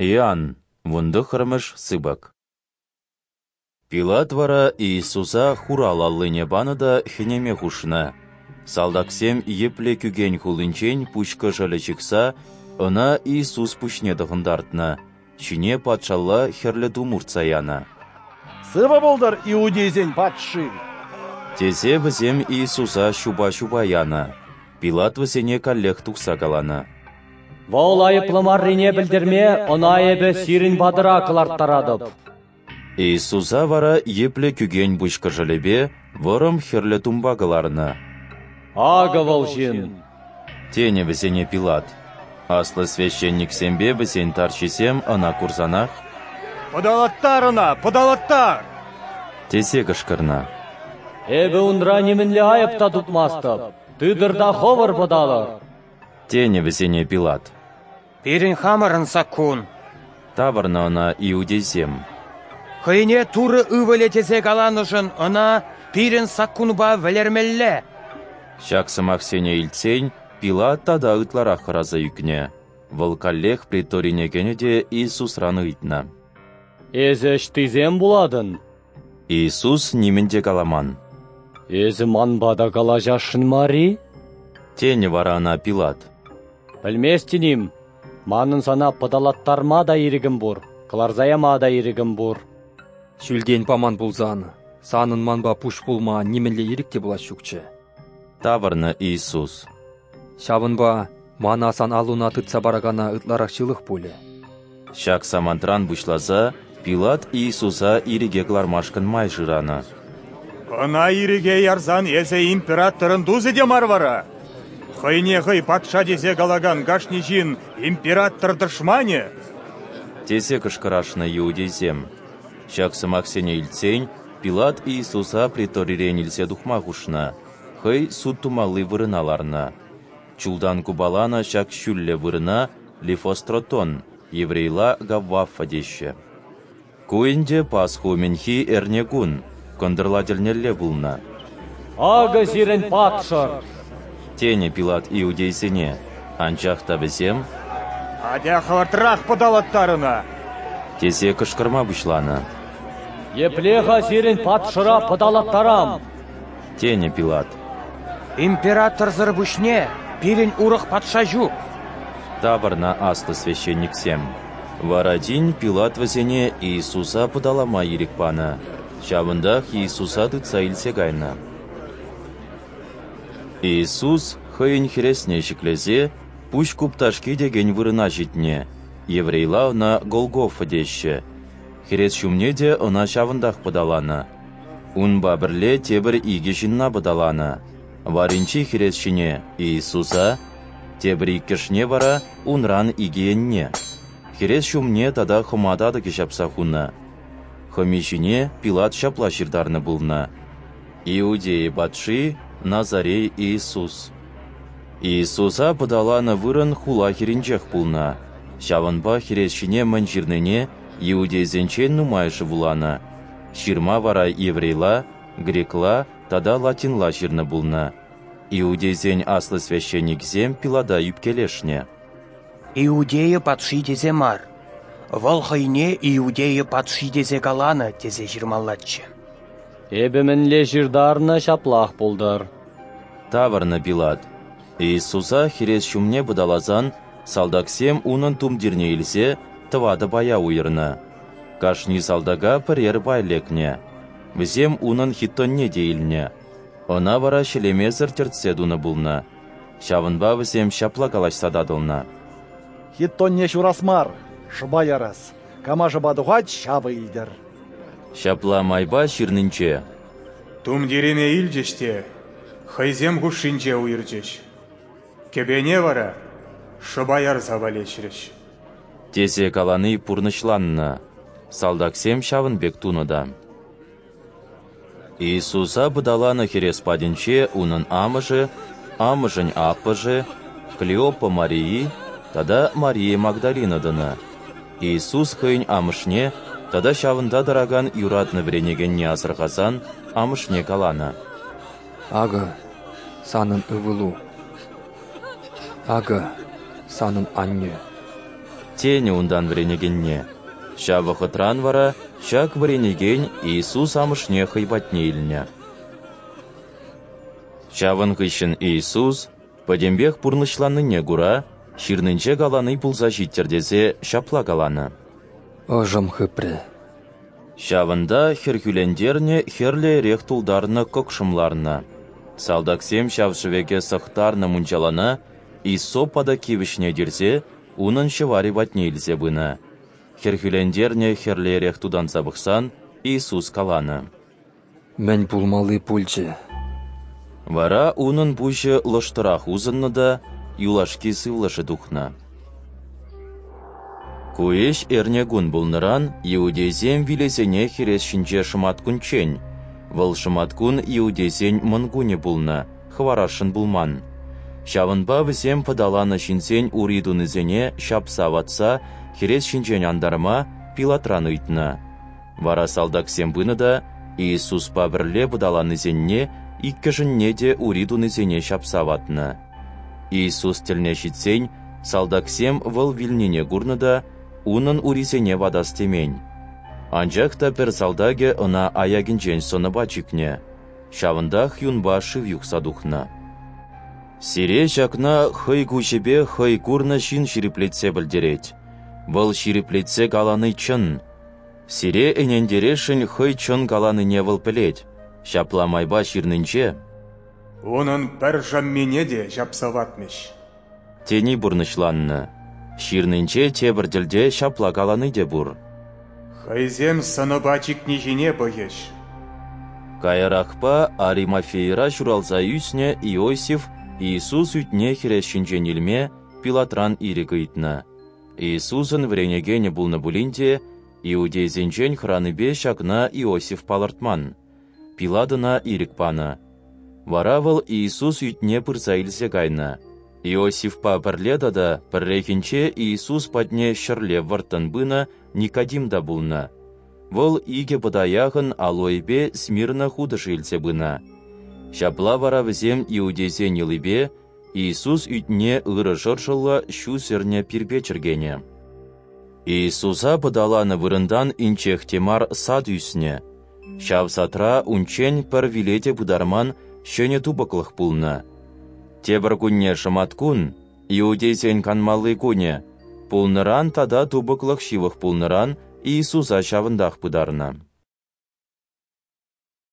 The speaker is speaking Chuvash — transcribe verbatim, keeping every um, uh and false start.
Иоанн, вунтӑххӑрмӗш сыпӑк. Пилат вара Иисуса хурал аллине панӑ та хӗнеме хушнӑ. Салтаксем йӗплӗ кӳкен хуллинчен пуҫ кӑшӑлӗ ҫыхса ӑна Иисус пуҫне тӑхӑнтартнӑ, ҫине патшалла хӗрлӗ тум уртса янӑ. «Сывӑ пултӑр иудейсен патши!» тесе вӗсем Иисуса ҫупа-ҫупа янӑ. Пилат вӗсене каллех тухса каланӑ: «Вӑл айӑплӑ маррине пӗлтерме ӑна эпӗ сирӗн патӑра кӑларттаратӑп». Иисуса вара йӗплӗ кӳкен пуҫ кӑшӑлӗпе вӑрӑм хӗрлӗ тумпа кӑларнӑ. «Акӑ вӑл ҫын!» тенӗ вӗсене Пилат. Аслӑ священниксемпе вӗсен тарҫисем ӑна курсанах: «Пӑталаттар ӑна! Пӑталаттар!» тесе кӑшкӑрнӑ. «Эпӗ унра нимӗнле айӑп та тупмастӑп. Тытӑр та хӑвӑр пӑталӑр!» тенӗ вӗсене Пилат. «Пирӗн хамӑрӑн саккун», тавӑрнӑ ӑна иудейсем. «Хӑйне Турӑ Ывӑлӗ тесе каланӑшӑн ӑна пирӗн саккунпа вӗлермелле». Ҫак сӑмахсене илтсен Пилат тата ытларах хӑраса ӳкнӗ. Вӑл каллех преторине кӗнӗ те Иисусран ыйтнӑ: «Эсӗ ӑҫтисем пулатӑн?» Иисус нимӗн те каламан. «Эсӗ манпа та калаҫасшӑн мар-и?» тенӗ вара ӑна Пилат. «Пӗлместӗн-им, манӑн сана пӑталаттарма та ирӗкӗм пур, кӑларса яма та ирӗкӗм пур». «Ҫӳлтен паман пулсан, санӑн манпа пуҫ пулма нимӗнле ирӗк те пулас ҫукчӗ», тавӑрнӑ Иисус. «Ҫавӑнпа мана сан аллуна тытса паракана ытларах ҫылӑх пулӗ». Ҫак самантран пуҫласа Пилат Иисуса ирӗке кӑлармашкӑн май шыранӑ. «Ӑна ирӗке ярсан эсӗ императорӑн тусӗ те мар вара. Хӑйне хӑй патша тесе калакан кашни ҫын император тӑшманӗ», тесе кӑшкӑрашнӑ иудейсем. Ҫак сӑмахсене илтсен Пилат Иисуса преторирен илсе тухма хушнӑ, хӑй суд тумалли вырӑна ларнӑ. Чултан купаланӑ ҫак ҫӳллӗ вырӑна Лифостротон, еврейла Гаввафа теҫҫӗ. Ку ӗнтӗ Пасха умӗнхи эрнекун, кӑнтӑрла тӗлнелле пулнӑ. «Акӑ сирӗн патшӑр!» тенӗ Пилат иудейсене, анчах та вӗсем: «Атя хӑвӑртрах пӑталаттар ӑна!» тесе кӑшкӑрма пуҫланӑ. «Епле-ха сирӗн патшӑра пӑталаттарам?» тенӗ Пилат. «Императорсӑр пуҫне пирӗн урӑх патша ҫук», тавӑрнӑ аслӑ священниксем. Вара тин Пилат вӗсене Иисуса пӑталама ирӗк панӑ. Ҫавӑнтах Иисуса тытса илсе кайнӑ. Иисус хӑйӗн хӗресне ҫӗклесе пуҫ купташки текен вырӑна ҫитнӗ, еврейла ӑна Голгофа теҫҫӗ. Хӗрес ҫумне те ӑна ҫавӑнтах пӑталанӑ. Унпа пӗрле тепӗр икӗ ҫынна пӑталанӑ. Варринчи хӗрес ҫине Иисуса, тепӗр иккӗшне вара унран икӗ енне. Хӗрес ҫумне тата хӑма татӑкӗ ҫапса хунӑ. Хӑми ҫине Пилат ҫапла ҫыртарнӑ пулнӑ: «Иудея патши Назарей Иисус». Иисуса пӑталанӑ вырӑн хула хӗрринчех пулнӑ. Ҫавӑнпа хӗрес ҫине мӗн ҫырнине иудейсенчен нумайӑшӗ вуланӑ. Ҫырма вара еврейла, грекла тата латинла ҫырнӑ пулнӑ. Иудейсен аслӑ священникӗсем Пилата ӳпкелешнӗ: «Иудея патши тесе мар, вӑл хӑйне Иудея патши тесе каланӑ тесе ҫырмаллаччӗ». «Эпӗ мӗнле ҫыртарнӑ, ҫаплах пултӑр», тавӑрнӑ Пилат. Иисуса хӗрес ҫумне пӑталасан салтаксем унӑн тумтирне илсе тӑватӑ пая уйӑрнӑ. Кашни салтака пӗрер пай лекнӗ. Вӗсем унӑн хитонне те илнӗ. Ӑна вара ҫӗлемесӗр тӗртсе тунӑ пулнӑ. Ҫавӑнпа вӗсем ҫапла калаҫса татӑлнӑ: «Хитонне ҫурас мар, шӑпа ярас. Кама шӑпа тухать, ҫавӑ илтӗр». Ҫапла майпа ҫырнинче: «Тумтирӗме илчӗҫ те хӑйсем хушшинче уйӑрчӗҫ. Кӗпене вара шӑпа ярса валеҫрӗҫ», тесе калани пурнӑҫланнӑ. Салтаксем ҫавӑн пек тунӑ та. Иисуса пӑталанӑ хӗрес патӗнче унӑн амӑшӗ, амӑшӗн аппӑшӗ, Клеопа Марии тата Мария Магдалина тӑнӑ. Иисус хӑйӗн амӑшне тата ҫавӑнта тӑракан юратнӑ вӗренекенне асӑрхасан амӑшне каланӑ: «Акӑ санӑн ывӑлу, акӑ санӑн аннӳ», Тенӗ унтан вӗренекенне. Ҫав вӑхӑтран вара ҫак вӗренекен Иисус амӑшне хӑй патне илнӗ. Ҫавӑн хыҫҫӑн Иисус, пӗтӗмпех пурнӑҫланнине кура, ҫырнинче калани пулса ҫиттӗр тесе ҫапла каланӑ: Ӑшӑм хыпрӗ. Ҫавӑнта хӗрхӳлентернӗ хӗрлӗ эрех тултарнӑ кӑкшӑм ларнӑ. Салтаксем ҫав шӗвеке сӑхтарнӑ мунчалана иссоп патакки вӗҫне тирсе унӑн ҫӑварӗ патне илсе пынӑ. Хӗрхӳлентернӗ хӗрлӗ эрех тутанса пӑхсан Иисус каланӑ: Мӗн пулмалли пулчӗ. Вара унӑн пуҫӗ лӑштӑрах усӑннӑ та юлашки сывлӑшӗ тухнӑ. Ку ӗҫ эрнекун пулнӑран иудейсем вилесене хӗрес ҫинче шӑматкунччен, вӑл шӑматкун иудейсен мӑнкунӗ пулнӑ, хӑварасшӑн пулман. Ҫавӑнпа вӗсем пӑталанӑ ҫынсен ури тунисене ҫапса ватса хӗрес ҫинчен антарма Пилатран ыйтнӑ. Вара салтаксем пынӑ та Иисуспа пӗрле пӑталаннисенне иккӗшӗнне те ури тунисене ҫапса ватнӑ. Иисус тӗлне ҫитсен салтаксем вӑл вилнине курнӑ та унӑн урисене ватас темен. Анчах та пӗр салтакӗ ӑна аякӗнчен сӑнӑпа чикнӗ. Ҫавӑнтах юнпа шыв юхса тухнӑ. Сире ҫакна хӑй куҫӗпе хӑй курнӑ ҫын ҫирӗплетсе пӗлтерет. Вӑл ҫирӗплетсе калани чӑн. Сире ӗнентересшӗн хӑй чӑн каланине вӑл пӗлет. Ҫапла майпа ҫырнинче Унӑн пӗр шӑммине те ҫапса ватмӗҫ. Тени пурнӑҫланнӑ. Ҫырнинче тепӗр тӗлте ҫапла калани те пур. Хӑйсем сӑнӑпа чикни ҫине пӑхӗҫ. Каярахпа Аримафейра ҫуралса ӳснӗ Иосиф Иисус ӳтне хӗрес ҫинчен илме Пилатран ирӗк ыйтнӑ. Иисусӑн вӗренекенӗ пулнӑ пулин те, иудейсенчен хӑранипе ҫакна Иосиф палӑртман. Пилат ӑна ирӗк панӑ. Вара вӑл Иисус ӳтне пырса илсе кайнӑ. Иосифпа пӗрле тата пӗррехинче Иисус патне ҫӗрле вӑрттӑн пынӑ Никодим та пулнӑ. Вӑл икӗ пӑта яхӑн алоэпе Смирна хутӑшӗ илсе пынӑ. Ҫапла вара вӗсем иудейсен йӑлипе Иисус ӳтне ырӑ шӑршӑллӑ ҫу сӗрнӗ пирпе чӗркенӗ. Иисуса пӑталанӑ вырӑнтан инҫех те мар сад ӳснӗ. Ҫав садра унччен пӗр виле те пытарман ҫӗнӗ тупӑклӑх пулнӑ. Тепӗр кунне шӑматкун, иудейсен канмалли кунӗ, пулнӑран тата тупӑклӑх ҫывӑх пулнӑран Иисуса ҫавӑнтах пытарнӑ.